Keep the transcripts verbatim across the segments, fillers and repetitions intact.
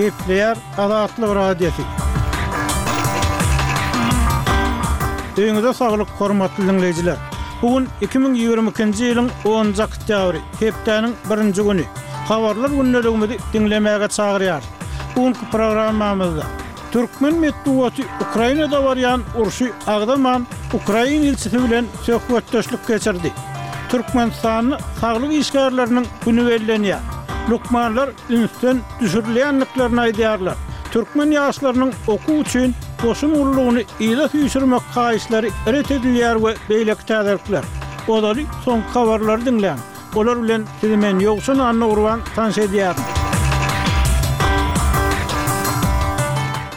Gepleýär Azatlyk Radiosy. Öýüňize saglyk, hormatly diňleýjiler! Bu gün iki müň ýigrimi ikinji ýylyň onunjy oktýabry, hepdäniň birinji güni. Habarlar gündeligimizi diňlemäge çagyrýarys. Bu günki programmamyzda Türkmen metbugaty Ukrainada barýan urşy agzaman, ukrain ilçisi bilen söhbetdeşlik geçirdi. Türkmenistanda saglyk işgärleriniň güni bellenýär. Lukmanlar ünsden düşürilýändiklerini aýdýarlar. Türkmen ýaşlarynyň okuw üçin goşun gullugyny yza süýşürmek haýyşlary ret edilýär we beýleki täzelikler. Ozaly soňky habarlary diňläň. Olar bilen sizi men Ýowşan Annagurban tanyş edýärin.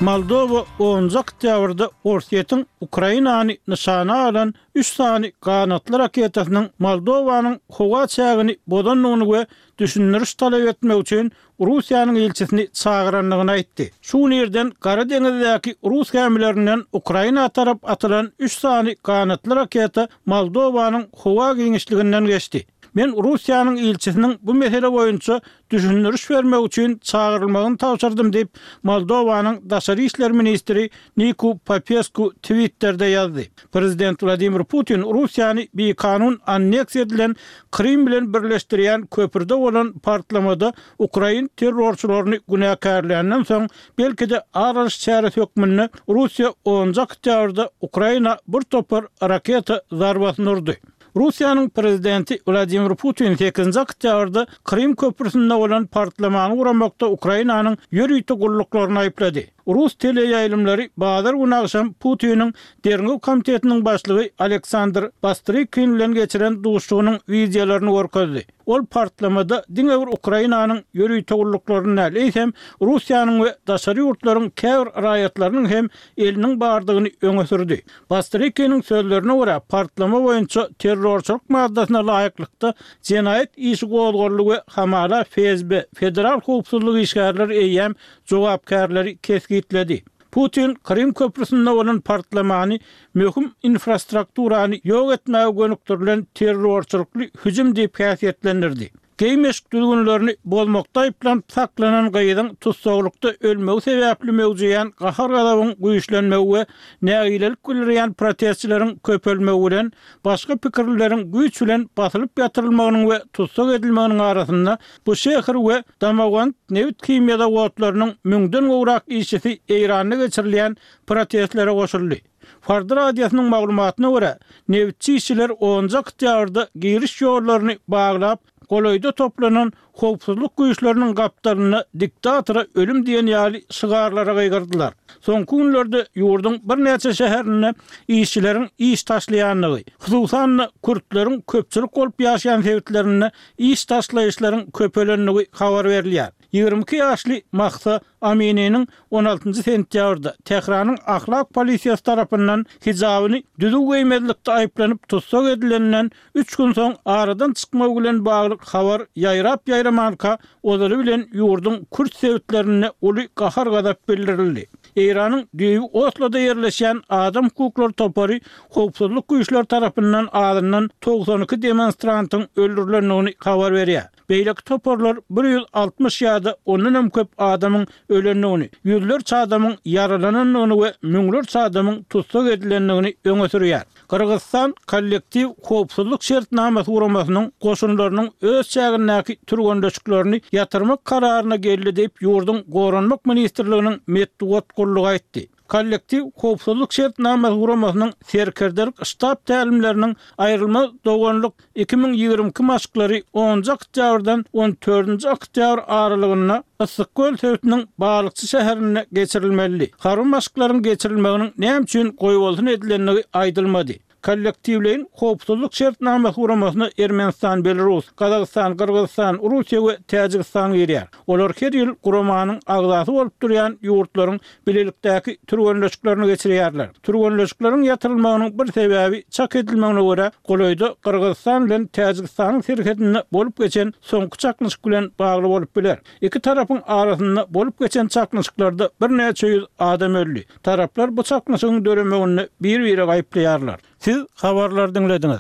Moldowa onunjy oktýabrda Orsýetiň Ukrainany nyşana alan üç sany ganatly raketasynyň Moldowanyň howa çägini bozandygyny we düşündiriş talap etmek üçin Russiýanyň ilçisini çagyrandygyny aýtdy. Şu gün irden Gara deňizdäki rus gämilerinden Ukraina tarap atylan üç sany ganatly raketa Moldowanyň howa giňişliginden geçdi. Men Russiýanyň ilçisiniň bu mesele boýunça düşündiriş bermek üçin çagyrylmagyny tabşyrdym diýip, Moldowanyň daşary işler ministri Niku Popesku Twitterde ýazdy. Prezident Wladimir Putin Russiýany bikanun anneksiýa edilen Krym bilen birleşdirýän köprüde bolan partlamada ukrain terrorçylaryny günäkärländen soň, belki-de ar alyş çäresi hökmünde Russiýa onunjy oktýabrda Ukraina bir topar raketa zarbasyny urdy. Russiýanyň prezidenti Wladimir Putin sekizinji oktýabrda Krym köprüsinde bolan partlamany guramakda Ukrainanyň ýörite gulluklaryny aýyplady. Rus teleýaýlymlary bazar güni agşam Putiniň Derňew komitetiniň başlygy Aleksandr Bastrykin bilen geçiren duşuşygynyň wideolaryny görkezdi. Ol partlamada diňe bir Ukrainanyň ýörite gulluklaryny däl, eýsem, Russiýanyň we daşary ýurtlaryň käbir raýatlarynyň hem eliniň bardygyny öňe sürdi. Bastrykiniň sözlerine görä, partlama boýunça terrorçylyk maddasyna laýyklykda jenaýat işi gozgaldy we hamala F S B, Federal howpsuzlyk işgärleri eýýäm jogapkärleri kesgitledi. Putin Krym köprüsinde bolan partlamany möhüm infrastrukturany ýok etmäge gönükdirilen terrorçylykly hüjüm diýip häsiýetlendirdi. Geýim-eşik düzgünlerini bozmakda aýyplanyp saklanan gyzyň tussaglykda ölmegi sebäpli möwjeýän gahar-gazabyň güýçlenmegi we nägilelik bildirýän protestçileriň köpelmegi bilen başga pikirlileriň güýç bilen basylyp ýatyrylmagynyň we tussag edilmeginiň arasynda Buşehr we Damawand nebit-himiýa zawodlarynyň müňden gowrak işçisi Eýranda geçirilýän protestlere goşuldy. Farda radiosynyň maglumatyna görä, nebitçi işçiler onunjy oktýabrda giriş ýollaryny baglap, golaýda toplanan howpsuzlyk güýçleriniň gapdalynda Diktatora ölüm diýen ýaly şygarlara gygyrdylar. Soňky günlerde ýurduň birnäçe şäherinde işçileriň iş taşlaýandygy, hususan-da, kürtleriň köpçülik bolup ýaşaýan sebitlerinde iş taşlaýyşlaryň köpelendigi habar berilýär. Ýigrimi iki ýaşly Mahsa Amininiň on altynjy sentýabrda Tähranyň ahlak polisiýasy tarapyndan hijabyny düzüw geýmezlikde aýyplanyp tussag edileninden üç gün soň aradan çykmagy bilen bagly habar ýaýrap-ýaýramanka, ozaly bilen ýurduň kürt sebitlerinde uly gahar-gazap bildirildi. Eýranyň düýbi Osloda ýerleşýän adam hukuklary topary howpsuzlyk güýçleri tarapyndan azyndan togsan iki demonstrantyň öldürilendigini habar berýär. Beýleki toparlar bir ýüz altmyş ýa-da ondan hem köp adamyň ölendigini, ýüzlerçe adamyň ýaralanandygyny we müňlerçe adamyň tussag edilendigini öňe sürýär. Gyrgyzystan Kollektiw howpsuzlyk şertnamasy guramasynyň goşunlarynyň öz çägindäki türgenleşiklerini ýatyrmak kararyna geldi diýip, ýurduň Goranmak ministrliginiň metbugat gullugy aýtdy. Kollektiw howpsuzlyk şertnamasy guramasynyň serkerdelik ştab tälimleriniň Aýrylmaz doganlyk iki müň ýigrimi iki maşklary onunjy oktýabrdan on dördünji oktýabr aralygynda Yssyk-Köl sebitiniň Balykçy şäherinde geçirilmelidi. Harby maşklaryň geçirilmeginiň näme üçin goýbolsun edilendigi aýdylmady. Kollektiwleýin howpsuzlyk şertnamasy guramasyna Ermenistan, Belarus, Gazagystan, Gyrgyzystan, Russiýa we Täjigistan girýär. Olar her ýyl guramanyň agzasy bolup durýan ýurtlaryň bilelikdäki türgenleşiklerini geçirýärler. Türgenleşikleriň ýatyrylmagynyň bir sebäbi, çak edilmegine görä, golaýda Gyrgyzystan bilen Täjigistanyň serhedinde bolup geçen soňky çaknyşyk bilen bagly bolup biler. Iki tarapyň arasynda bolup geçen çaknyşyklarda birnäçe ýüz adam öldi. Taraplar bu çaknyşygyň döremeginde bir-biregi aýyplaýarlar. Siz habarlary diňlediňiz.